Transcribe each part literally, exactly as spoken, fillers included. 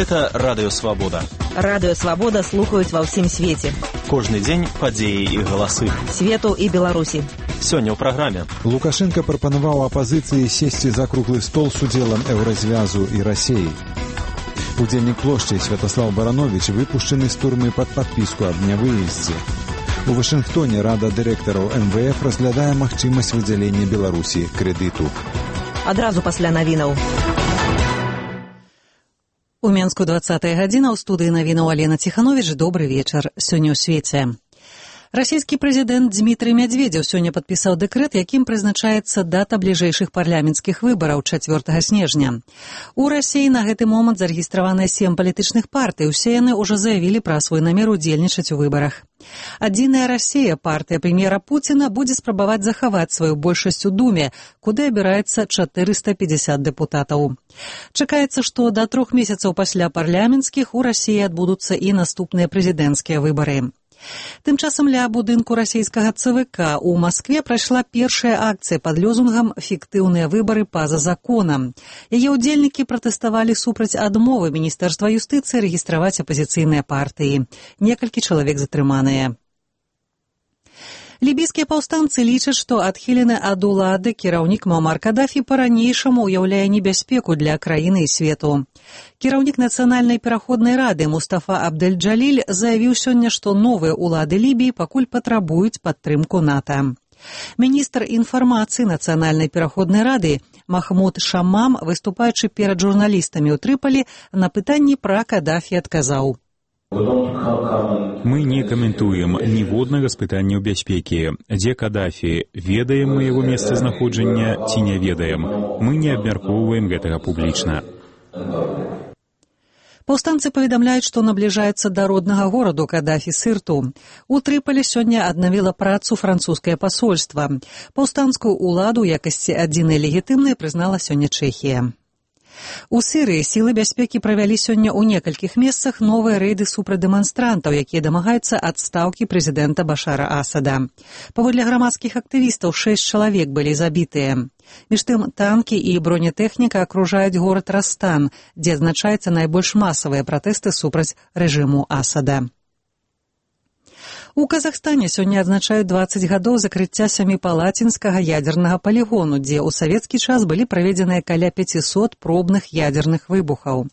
Гэта Радыё Свабода. Радыё Свабода слухаюць ва ўсім свеце. Кожны дзень падзеі і галасы. Свету і Беларусі. Сёння ў праграме. Лукашенко прапанаваў апазіцыі сесці за круглы стол з удзелам Еўразвязу і Расіі. Удзельнік плошчы Святаслав Баранович выпушчаны з турмы пад падпіску аб нявыездзе. У Вашынгтоне Рада дырэктараў эм вэ эф разглядае магчымасць выдзялення Беларусі крэдыту. Адразу пасля навінаў. У Менску двадцатая гадзіна, ў студыі навінаў Алена Ціхановіч. Добры вечар. Сёння ў свеце. Расійскі прэзідэнт Дмітрый Мядзведзеў сёння падпісаў дэкрэт, якім прызначаецца дата бліжэйшых парламенцкіх выбараў чацвёртага снежня. У Расіі на гэты момант зарэгістраваны сем палітычных партый. Усе яны ўжо заявілі пра свой намер удзельнічаць у выбарах. Адзіная Расія, партыя прэм'ера Пуціна, будзе спрабаваць захаваць сваю большасць у Думе, куды абіраецца чатырыста пятьдесят дэпутатаў. Чакаецца, што да трох месяцаў пасля парламенцкіх у Расіі адбудуцца і наступныя прэзідэнцкія выбары. Тым часам ля будынку расійскага цэ вэ ка ў Маскве прайшла першая акцыя пад лёзунгам «Фіктыўныя выбары па-за законам». Яе ўдзельнікі пратэставалі супраць адмовы Міністэрства юстыцыі рэгістраваць апазіцыйныя партыі. Некалькі чалавек затрыманыя. Лібійскія паўстанцы лічаць, што адхілены ад улады кіраўнік Муамар Кадафі па-ранейшаму ўяўляе небяспеку для краіны і свету. Кіраўнік Нацыянальнай пераходнай рады Мустафа Абдэль-Джаліль заявіў сёння, што новыя ўлады Лібіі пакуль патрабуюць падтрымку НАТО. Міністр інфармацыі Нацыянальнай пераходнай рады Махмуд Шаммам, выступаючы перад журналістамі ў Трыполі, на пытанні пра Кадафі адказаў: Мы не каментуем ніводнага з пытанняў бяспекі. Дзе Кадафі? Ведаем мы яго месцазнаходжання ці не ведаем? Мы не абмяркоўваем гэтага публічна. Паўстанцы паведамляюць, што набліжаецца да роднага гораду Кадафі Сырту. У Трыполі сёння аднавіла працу французскае пасольства. Паўстанскую ўладу ў якасці адзінай легітымнай прызнала сёння Чэхія. У Сірыі сілы бяспекі правялі сёння ў некалькіх месцах новыя рэйды супраць дэманстрантаў, якія дамагаюцца адстаўкі прэзідэнта Башара Асада. Паводле грамадскіх актывістаў, шэсць чалавек былі забітыя. Між тым, танкі і бронетэхніка акружаюць горад Растан, дзе адзначаюцца найбольш масавыя пратэсты супраць рэжыму Асада. У Казахстане сёння адзначаюць дваццаць гадоў закрыцця сяміпалацінскага ядзернага палігону, дзе ў савецкі час былі праведзеныя каля пяцісот пробных ядзерных выбухаў.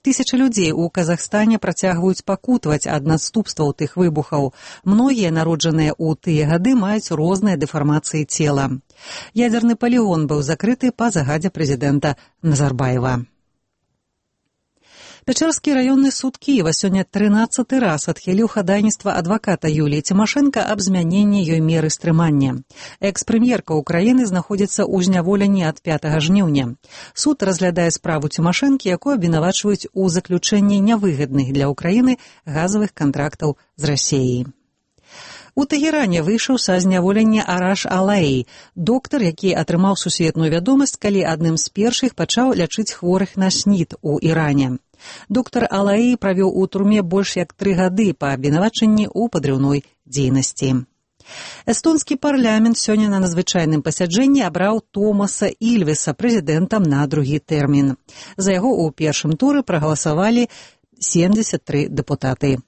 Тысячы людзей у Казахстане працягваюць пакутаваць ад наступстваў тых выбухаў. Многія, народжаныя ў тыя гады, маюць розныя дэфармацыі цела. Ядзерны палігон быў закрыты па загадзе прэзідэнта Назарбаева. Пячэрскі раённы суд Кіева сёння трынаццаты раз адхіліў хадайніцтва адваката Юліі Цімашэнка аб змяненні ёй меры стрымання. Экс-прэм'ерка ўкраіны знаходзіцца ў зняволенні ад пятага жніўня. Суд разглядае справу Цімашэнкі, якую абвінавачваюць у заключэнні нявыгадных для ўкраіны газавых кантрактаў з Расіяй. У Тэгеране выйшаў са зняволення Араш Алаі, доктар, які атрымаў сусветную вядомасць, калі адным з першых пачаў лячыць хворых на снід у Іране. Доктар Алаі правёў у турме больш як тры гады па абвінавачанні ў падрыўной дзейнасці. Эстонскі парламент сёння на надзвычайным пасяджэнні абраў Томаса Ільвеса прэзідэнтам на другі тэрмін. За яго ў першым туры прагаласавалі семдзесят тры дэпутаты.